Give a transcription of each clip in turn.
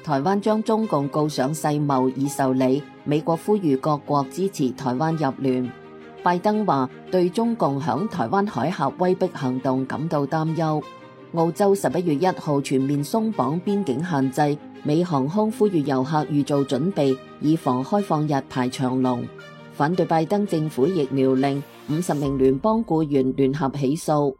台灣將中共告上世貿已受理，美國呼籲各國支持台灣入聯。拜登話對中共響台灣海峽威逼行動感到擔憂。澳洲11月1號全面鬆綁邊境限制，美航空呼籲遊客預做準備，以防開放日排長龍。反對拜登政府疫苗令，50名聯邦僱員聯合起訴。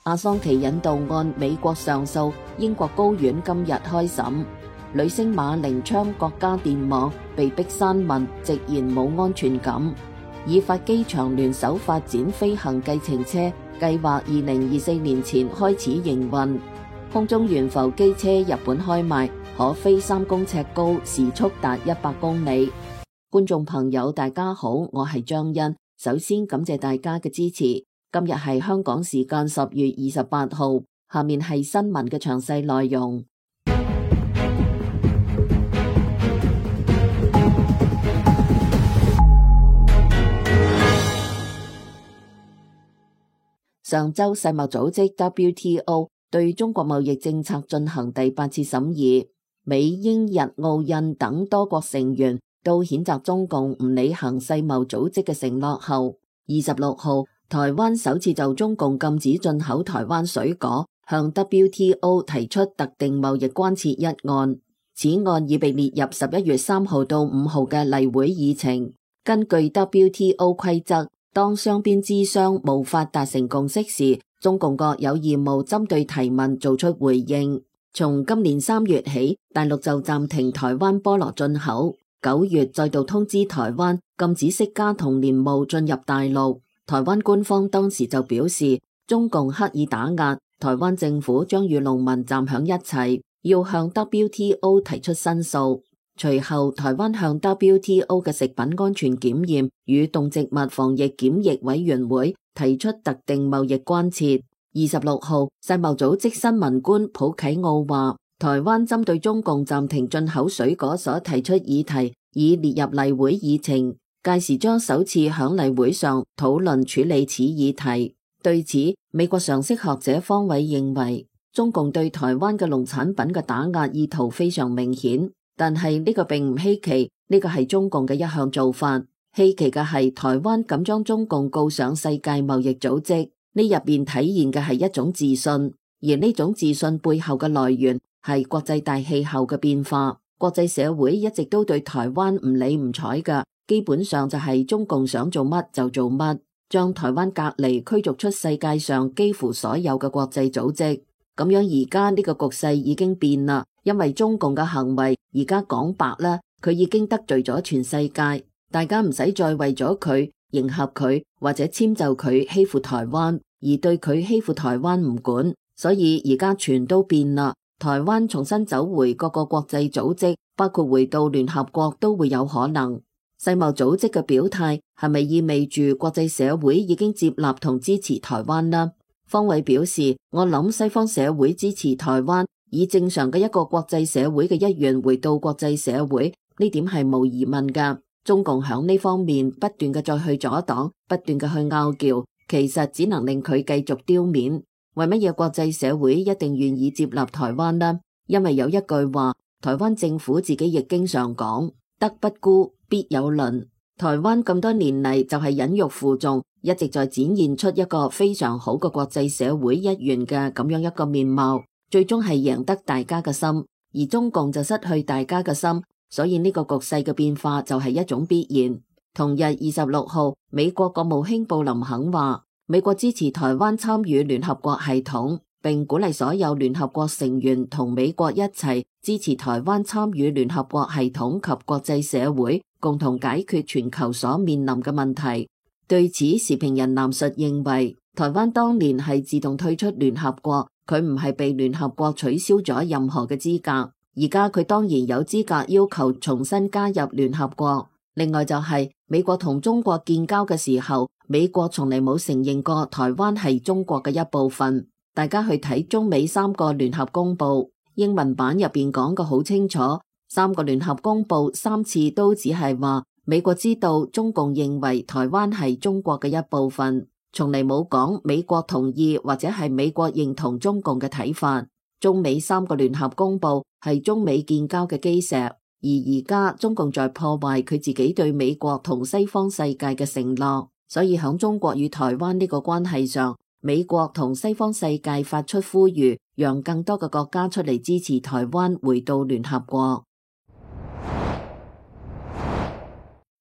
阿桑奇引渡案美國上訴，英國高院今日開審。女星馬玲昌國家電網被逼刪文，直言冇安全感。以法機場聯手發展飛行計程車，計劃2024年前開始營運。空中懸浮機車日本開賣，可飛3公尺高，時速達100公里。觀眾朋友大家好，我係張欣，首先感謝大家嘅支持。今日係香港時間10月28號，下面係新聞嘅詳細內容。上周世貿組織 WTO 對中國貿易政策進行第8次審議，美、英、日、澳、印等多國成員都譴責中共唔履行世貿組織嘅承諾後，26號台灣首次就中共禁止進口台灣水果向 WTO 提出特定貿易關切一案。此案已被列入11月3號到5號嘅例會議程。根據 WTO 規則，當雙邊諮商無法達成共識時，中共國有義務針對提問做出回應。從今年3月起，大陸就暫停台灣菠蘿進口，9月再度通知台灣禁止釋迦同蓮霧進入大陸。台灣官方當時就表示，中共刻意打壓，台灣政府將與農民站響一齊，要向 WTO 提出申訴。隨後，台灣向 WTO 嘅食品安全檢驗與動植物防疫檢疫委員會提出特定貿易關切。26號，世貿組織新聞官普啟奧話，台灣針對中共暫停進口水果所提出議題已列入例會議程，屆時將首次響例會上討論處理此議題。對此，美國常識學者方偉認為，中共對台灣嘅農產品嘅打壓意圖非常明顯。但係呢個並唔稀奇，呢個係中共嘅一項做法。稀奇嘅係台灣敢將中共告上世界貿易組織，呢入邊體現嘅係一種自信，而呢種自信背後嘅來源係國際大氣候嘅變化。國際社會一直都對台灣唔理唔睬㗎，基本上就係中共想做乜就做乜，將台灣隔離驅逐出世界上幾乎所有嘅國際組織。咁樣而家呢個局勢已經變啦。因為中共嘅行為而家講白啦，佢已經得罪咗全世界，大家唔使再為咗佢迎合佢或者遷就佢欺負台灣，而對佢欺負台灣唔管，所以而家全都變啦。台灣重新走回各個國際組織，包括回到聯合國都會有可能。世貿組織嘅表態係咪意味住國際社會已經接納同支持台灣呢？方偉表示，我諗西方社會支持台灣，以正常嘅一個國際社會嘅一員回到國際社會，呢點係無疑問㗎。中共響呢方面不斷嘅再去阻擋，不斷嘅去拗撬，其實只能令佢繼續丟面。為乜嘢國際社會一定願意接納台灣呢？因為有一句話，台灣政府自己亦經常講，德不孤，必有鄰。台灣咁多年嚟就係忍辱負重，一直在展現出一個非常好嘅國際社會一員嘅咁樣一個面貌，最終係贏得大家嘅心，而中共就失去大家嘅心，所以呢個局勢嘅變化就係一種必然。同日26號，美國國務卿布林肯話，美國支持台灣參與聯合國系統，並鼓勵所有聯合國成員同美國一齊支持台灣參與聯合國系統及國際社會，共同解決全球所面臨嘅問題。對此，時評人藍述認為，台灣當年係自動退出聯合國，佢唔係被聯合國取消咗任何嘅資格，而家佢當然有資格要求重新加入聯合國。另外就係美國同中國建交嘅時候，美國從嚟冇承認過台灣係中國嘅一部分。大家去睇中美3個聯合公報，英文版入邊講個好清楚，3個聯合公報3次都只係話美國知道中共認為台灣係中國嘅一部分，從嚟冇講美國同意或者係美國認同中共嘅睇法。中美3個聯合公報係中美建交嘅基石，而而家中共在破壞佢自己對美國同西方世界嘅承諾，所以響中國與台灣呢個關係上，美國同西方世界發出呼籲，讓更多嘅國家出嚟支持台灣回到聯合國。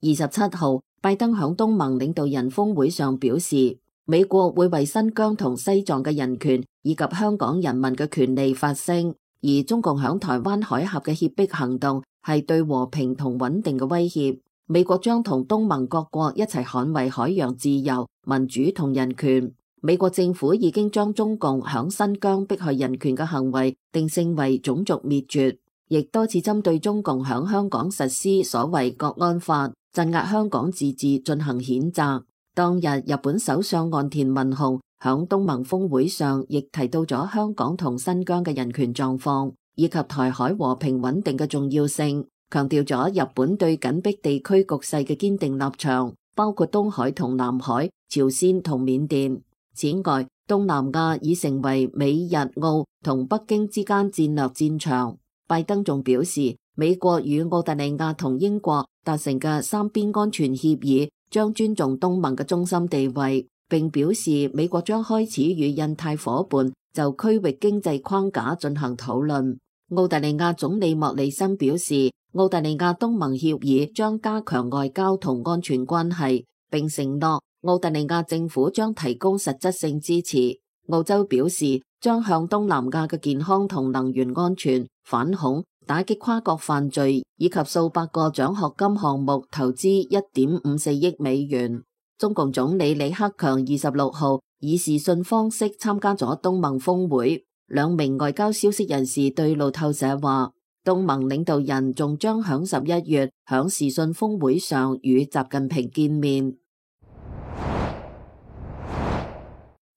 27號，拜登響東盟領導人峰會上表示，美國會為新疆同西藏嘅人權以及香港人民嘅權利發聲，而中共響台灣海峽嘅脅迫行動係對和平同穩定嘅威脅。美國將同東盟各國一齊捍衛海洋自由、民主同人權。美國政府已經將中共響新疆迫害人權嘅行為定性為種族滅絕，亦多次針對中共響香港實施所謂國安法，鎮壓香港自治進行譴責。當日日本首相岸田文雄響東盟峰會上亦提到咗香港同新疆嘅人權狀況，以及台海和平穩定嘅重要性，強調咗日本對緊迫地區局勢嘅堅定立場，包括東海同南海、朝鮮同緬甸。此外，東南亞已成為美日澳同北京之間戰略戰場。拜登仲表示，美國與澳大利亞同英國達成嘅三邊安全協議將尊重東盟嘅中心地位，並表示美國將開始與印太夥伴就區域經濟框架進行討論。澳大利亞總理莫里森表示，澳大利亞東盟協議將加強外交同安全關係，並承諾澳大利亞政府將提供實質性支持。澳洲表示將向東南亞嘅健康同能源安全、反恐、打擊跨國犯罪以及數百個獎學金項目投資1.54億美元。中共總理李克強26號以視訊方式參加咗東盟峰會。兩名外交消息人士對路透社話，東盟領導人仲將響11月響視訊峰會上與習近平見面。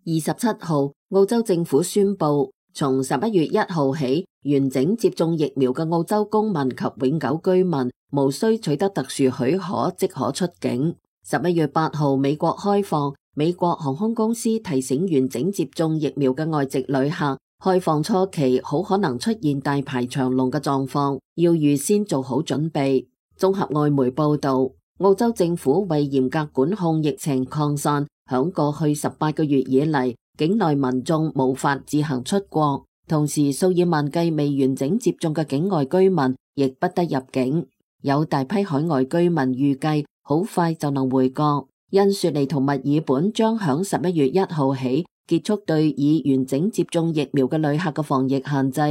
27號，澳洲政府宣布，從11月1號起，完整接種疫苗嘅澳洲公民及永久居民無需取得特殊許可即可出境。11月8號，美國開放，美國航空公司提醒完整接種疫苗嘅外籍旅客，開放初期好可能出現大排長龍嘅狀況，要預先做好準備。綜合外媒報道，澳洲政府為嚴格管控疫情擴散，響過去18個月以嚟，境內民眾無法自行出國，同時數以萬計未完整接種嘅境外居民亦不得入境。有大批海外居民預計好快就能回國。因雪梨同墨爾本將響11月1號起結束對已完整接種疫苗嘅旅客嘅防疫限制。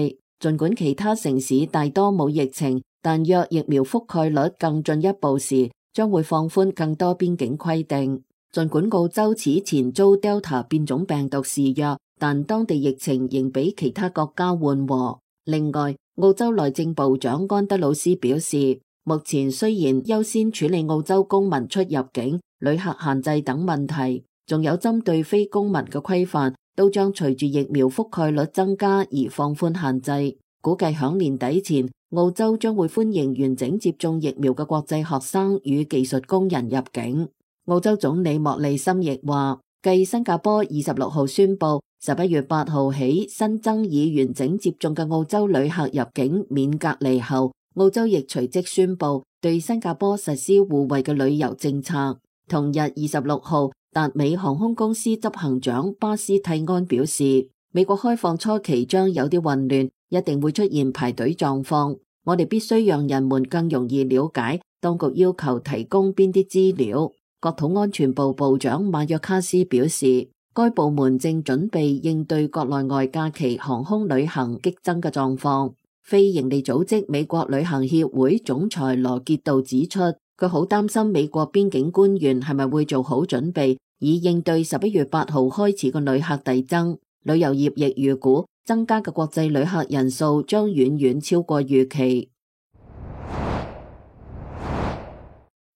儘管其他城市大多冇疫情，但若疫苗覆蓋率更進一步時，將會放寬更多邊境規定。儘管澳洲此前遭 Delta 變種病毒肆虐，但當地疫情仍比其他國家緩和。另外，澳洲內政部長安德魯斯表示，目前雖然優先處理澳洲公民出入境、旅客限制等問題，仲有針對非公民嘅規範，都將隨住疫苗覆蓋率增加而放寬限制。估計響年底前，澳洲將會歡迎完整接種疫苗嘅國際學生與技術工人入境。澳洲總理莫里森亦話，繼新加坡26號宣布11月8號起新增已完整接種嘅澳洲旅客入境免隔離後，澳洲亦隨即宣布對新加坡實施互惠嘅旅遊政策。同日26號，達美航空公司執行長巴斯蒂安表示，美國開放初期將有啲混亂，一定會出現排隊狀況。我哋必須讓人們更容易了解當局要求提供邊啲資料。國土安全部部長馬約卡斯表示，該部門正準備應對國內外假期航空旅行激增嘅狀況。非營利組織美國旅行協會總裁羅傑道指出，佢好擔心美國邊境官員係咪會做好準備，以應對11月8號開始嘅旅客遞增。旅遊業亦預估增加嘅國際旅客人數將遠遠超過預期。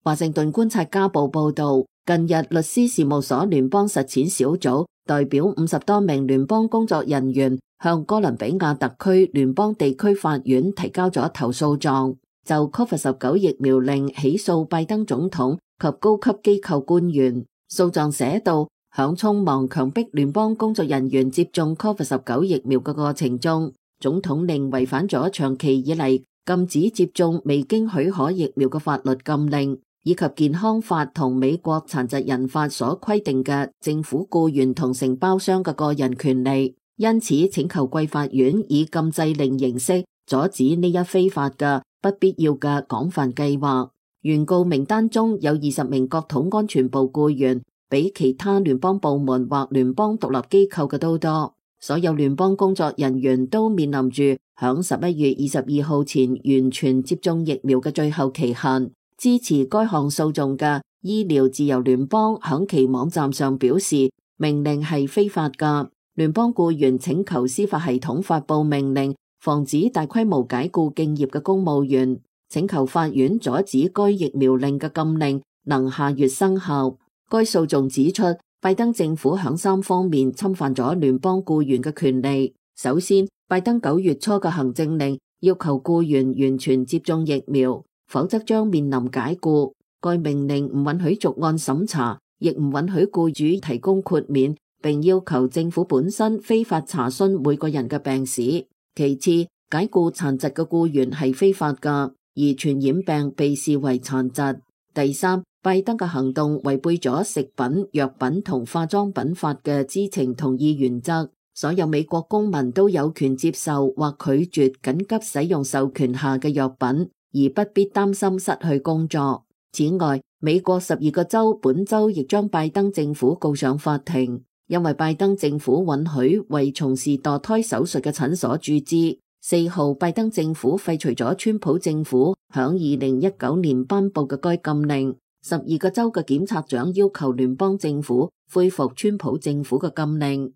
華盛頓觀察家報報道，近日律師事務所聯邦實踐小組代表50多名聯邦工作人員向哥倫比亞特區聯邦地區法院提交咗投訴狀，就 COVID-19 疫苗令起訴拜登總統及高級機構官員。訴狀寫道，響匆忙強迫聯邦工作人員接種 COVID-19 疫苗嘅過程中，總統令違反咗長期以嚟禁止接種未經許可疫苗嘅法律禁令，以及健康法同美國殘疾人法所規定嘅政府僱員同承包商嘅個人權利，因此請求貴法院以禁制令形式阻止呢一非法嘅不必要嘅廣泛計劃。原告名單中有20名國土安全部僱員，比其他聯邦部門或聯邦獨立機構嘅都多。所有聯邦工作人員都面臨住響11月22號前完全接種疫苗嘅最後期限。支持該項訴訟嘅醫療自由聯邦響其網站上表示，命令係非法㗎。聯邦僱員請求司法系統發佈命令，防止大規模解僱敬業嘅公務員，請求法院阻止該疫苗令嘅禁令能下月生效。該訴訟指出，拜登政府響3方面侵犯咗聯邦僱員嘅權利。首先，拜登9月初嘅行政令要求僱員完全接種疫苗，否則將面臨解僱。該命令唔允許逐案審查，亦唔允許僱主提供豁免，並要求政府本身非法查詢每個人嘅病史。其次，解僱殘疾嘅僱員係非法㗎，而傳染病被視為殘疾。第三，拜登嘅行動違背咗食品、藥品同化妝品法嘅知情同意原則。所有美國公民都有權接受或拒絕緊急使用授權下嘅藥品，而不必擔心失去工作。此外，美國12個州本周亦將拜登政府告上法庭，因為拜登政府允許為從事墮胎手術嘅診所注資。4號，拜登政府廢除咗川普政府響2019年頒布嘅該禁令。12個州嘅檢察長要求聯邦政府恢復川普政府嘅禁令。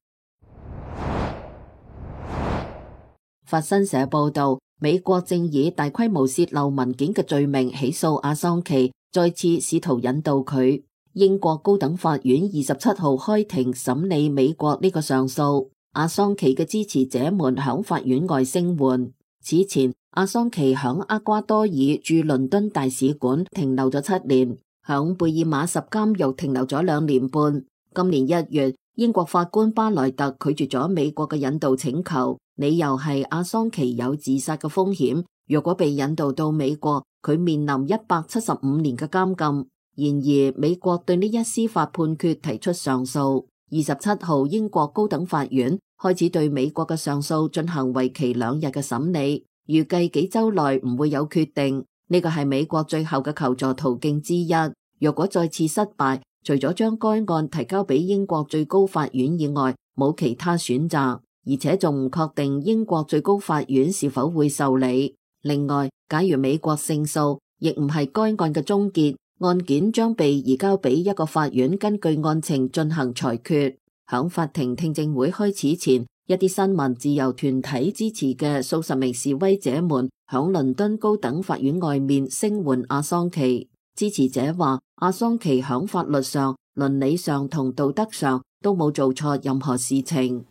法新社報道，美國正以大規模洩漏文件嘅罪名起訴阿桑奇，再次試圖引渡佢。英國高等法院27號開庭審理美國呢個上訴。阿桑奇嘅支持者們響法院外聲援。此前，阿桑奇響厄瓜多爾駐倫敦大使館停留咗7年。響貝爾馬什監獄停留咗2年半。今年1月，英國法官巴萊特拒絕咗美國嘅引渡請求，理由係阿桑奇有自殺嘅風險，若果被引渡到美國，佢面臨175年嘅監禁。然而，美國對呢一司法判決提出上訴。27號，英國高等法院開始對美國嘅上訴進行為期2日嘅審理，預計幾週內唔會有決定。呢個係美國最後嘅求助途徑之一。若果再次失敗，除咗將該案提交俾英國最高法院以外，冇其他選擇，而且仲唔確定英國最高法院是否會受理。另外，假如美國勝訴，亦唔係該案嘅終結，案件將被移交俾一個法院根據案情進行裁決。響法庭聽證會開始前，一啲新聞自由團體支持嘅數十名示威者們響倫敦高等法院外面聲援阿桑奇。支持者話，阿桑奇響法律上、倫理上同道德上都冇做錯任何事情。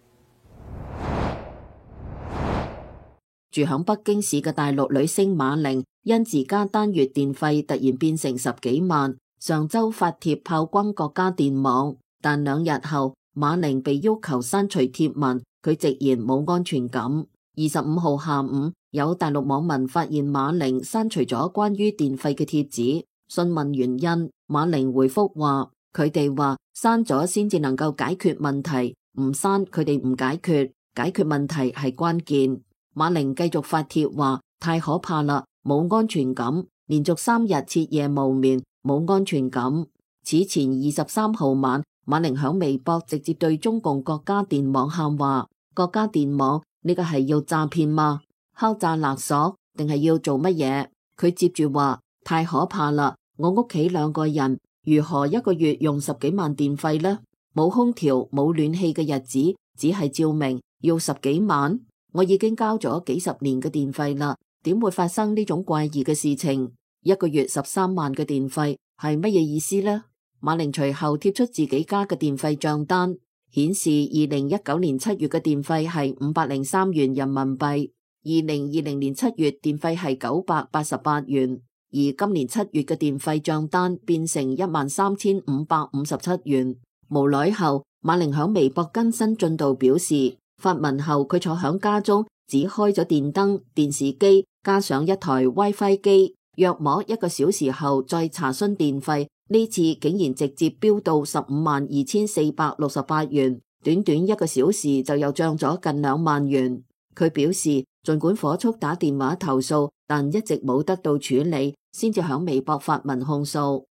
住響北京市嘅大陸女星馬玲，因自家單月電費突然變成10幾萬，上周發帖炮轟國家電網，但2日後馬玲被要求刪除貼文，佢直言冇安全感。25號下午，有大陸網民發現馬玲刪除咗關於電費嘅帖子，詢問原因，馬玲回覆話：佢哋話刪咗先至能夠解決問題，唔刪佢哋唔解決，解決問題係關鍵。馬玲繼續發帖話：太可怕啦，冇安全感，連續3日徹夜無眠，冇安全感。此前23號晚，馬玲響微博直接對中共國家電網喊話：國家電網，呢個係要詐騙嗎？敲詐勒索定係要做乜嘢？佢接住話：太可怕啦！我屋企2個人，如何一個月用10幾萬電費呢？冇空調冇暖氣嘅日子，只係照明要10幾萬。我已經交咗幾10年嘅電費啦，點會發生呢種怪異嘅事情？一個月13萬嘅電費係乜嘢意思呢？馬玲隨後貼出自己家嘅電費賬單，顯示2019年7月嘅電費係503元人民幣，2020年7月電費係988元。而今年7月嘅電費賬單變成13557元。無耐後，馬玲響微博更新進度表示，發文後佢坐響家中只開咗電燈、電視機，加上一台 WiFi 機，約莫1個小時後再查詢電費，呢次竟然直接飆到152468元，短短1個小時就又漲咗近2萬元。佢表示，儘管火速打電話投訴，但一直冇得到處理，先至響微博發文控訴。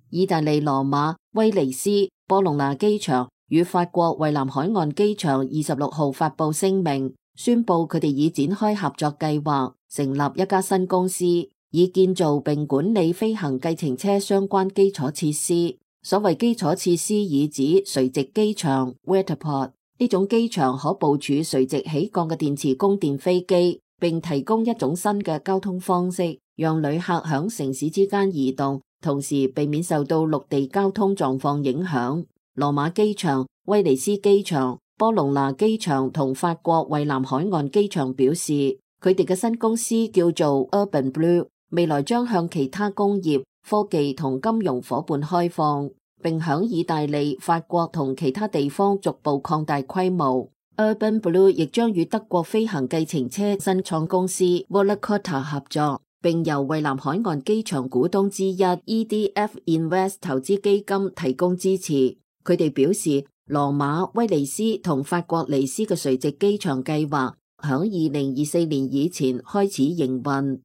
意大利羅馬、威尼斯、波隆那機場與法國蔚藍海岸機場26號發布聲明，宣布佢哋已展開合作計劃，成立一家新公司，以建造並管理飛行計程車相關基礎設施。所謂基礎設施以指垂直機場 （Vertiport）， 呢種機場可部署垂直起降嘅電磁供電飛機，並提供一種新嘅交通方式，讓旅客響城市之間移動，同時避免受到陸地交通狀況影響。羅馬機場、威尼斯機場、波隆那機場同法國蔚藍海岸機場表示，佢哋嘅新公司叫做 Urban Blue， 未來將向其他工業、科技同金融夥伴開放，並響意大利、法國同其他地方逐步擴大規模。Urban Blue 亦將與德國飛行計程車新創公司 Volocopter 合作，並由蔚藍海岸機場股東之一 EDF Invest 投資基金提供支持。佢哋表示，羅馬、威尼斯同法國尼斯嘅垂直機場計劃響2024年以前開始營運。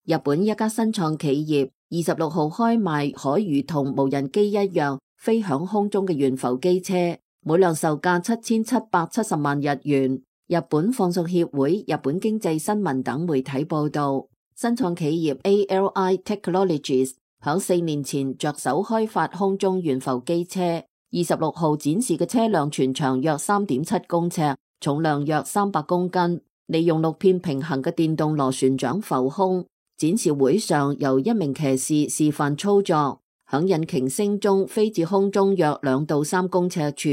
日本一家新創企業26號開賣可如同無人機一樣飛響空中嘅懸浮機車，每輛售價7770萬日元。日本放送協會、日本經濟新聞等媒體報道，新創企業 ALI Technologies 響4年前着手開發空中懸浮機車，26號展示嘅車輛全長約3.7公尺，重量約300公斤，利用6片平行嘅電動螺旋槳浮空。展示會上由一名騎士示範操作，響引擎聲中飛至空中約2到3公尺處，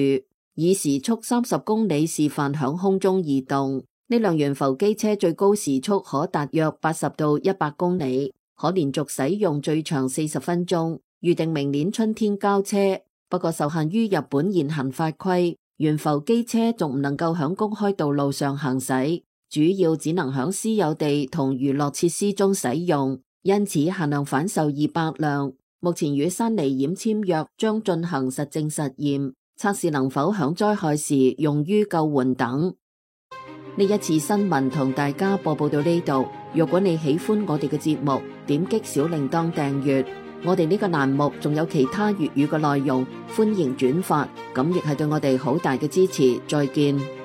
以時速30公里示範響空中移動。呢輛懸浮機車最高時速可達約80到100公里，可連續使用最長40分鐘，預定明年春天交車。不過受限於日本現行法規，懸浮機車仲唔能夠響公開道路上行駛，主要只能響私有地同娛樂設施中使用，因此限量販售200輛。目前與山梨縣簽約，將進行實證實驗，測試能否響災害時用於救援等。呢一次新聞同大家播報到呢度。如果你喜歡我哋嘅節目，點擊小鈴鐺訂閱。我哋呢個欄目仲有其他粵語嘅內容，歡迎轉發，咁亦係對我哋好大嘅支持。再見。